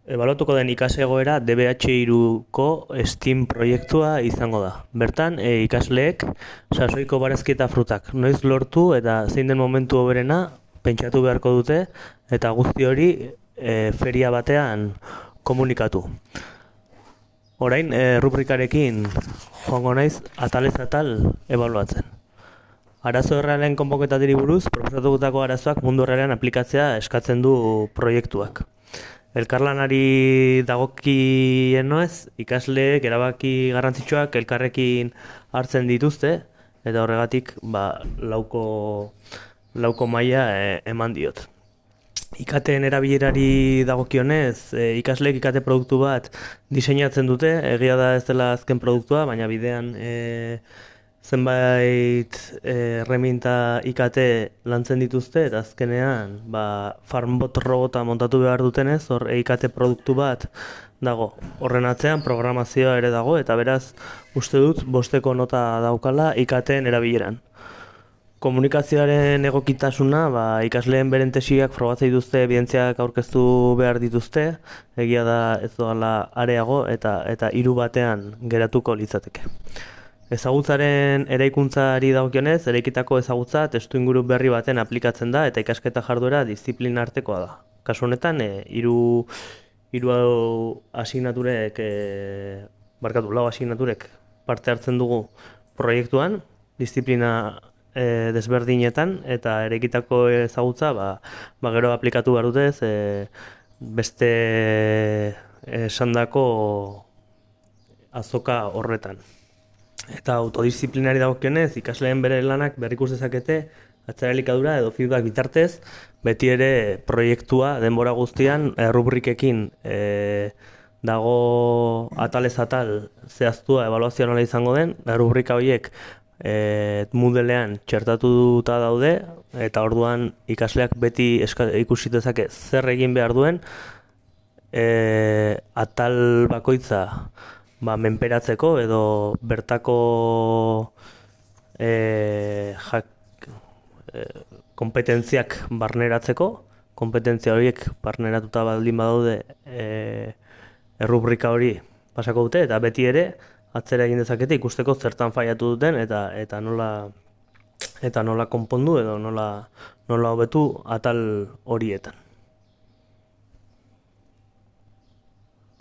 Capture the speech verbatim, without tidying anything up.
Ebaluatuko den ikaslegoera D B H hiruko STEAM proiektua izango da. Bertan, e, ikasleek sasoiko barazki eta frutak noiz lortu eta zein den momentu hoberena pentsatu beharko dute eta guzti hori e, feria batean komunikatu. Orain, e, rubrikarekin joango naiz atalez atal ebaluatzen. Arazo errealen konponketatiri buruz, proposatutako arazoak mundu errealean aplikatzea eskatzen du proiektuak. Elkarlanari dagokien noez, ikasleek erabaki garrantzitsuak elkarrekin hartzen dituzte, eta horregatik ba, lauko, lauko maila e, eman diot. Ikateen erabilerari dagokionez, e, ikasleek ikate produktu bat diseinatzen dute, egia da ez dela azken produktua, baina bidean e, zenbait erreminta I K T lantzen dituzte eta azkenean ba, farmbot robota montatu behar dutenez, hor I K T produktu bat dago. Horren atzean programazioa ere dago eta beraz uste dut bosteko nota daukala I K T-en erabileran. Komunikazioaren egokitasuna, ba, ikasleen beren tesiak frogatzei dituzte, evidentziak aurkeztu behar dituzte, egia da ez doala areago eta, eta hiru batean geratuko litzateke. Ezagutzaren eraikuntzari dagokionez, eraikitako ezagutza testu inguru berri baten aplikatzen da eta ikasketa jarduera diziplina artekoa da. Kasu honetan, e, hiru hiru asignaturek, e, barkatu, lau asignaturek parte hartzen dugu proiektuan, diziplina e, desberdinetan eta eraikitako ezagutza ba, ba gero aplikatu behar dutez e, beste esandako azoka horretan. Eta autodisiplinari dagokionez, ikasleen bere lanak berrikus dezakete atzera elikadura edo feedback bitartez, beti ere proiektua denbora guztian e, rubrikekin e, dago atalez atal zehaztua ebaluazioa nola izango den, rubrika horiek e, Moodlean txertatuta daude eta orduan ikasleak beti eska, ikusi dezake zer egin behar duen e, atal bakoitza Ba, menperatzeko edo bertako e, jak, e, kompetentziak barneratzeko, kompetentzia horiek barneratuta baldin badaude e, errubrika hori pasako dute eta beti ere atzera egin dezakete ikusteko zertan faiatu duten eta eta nola eta nola konpondu edo nola nola hobetu atal horietan.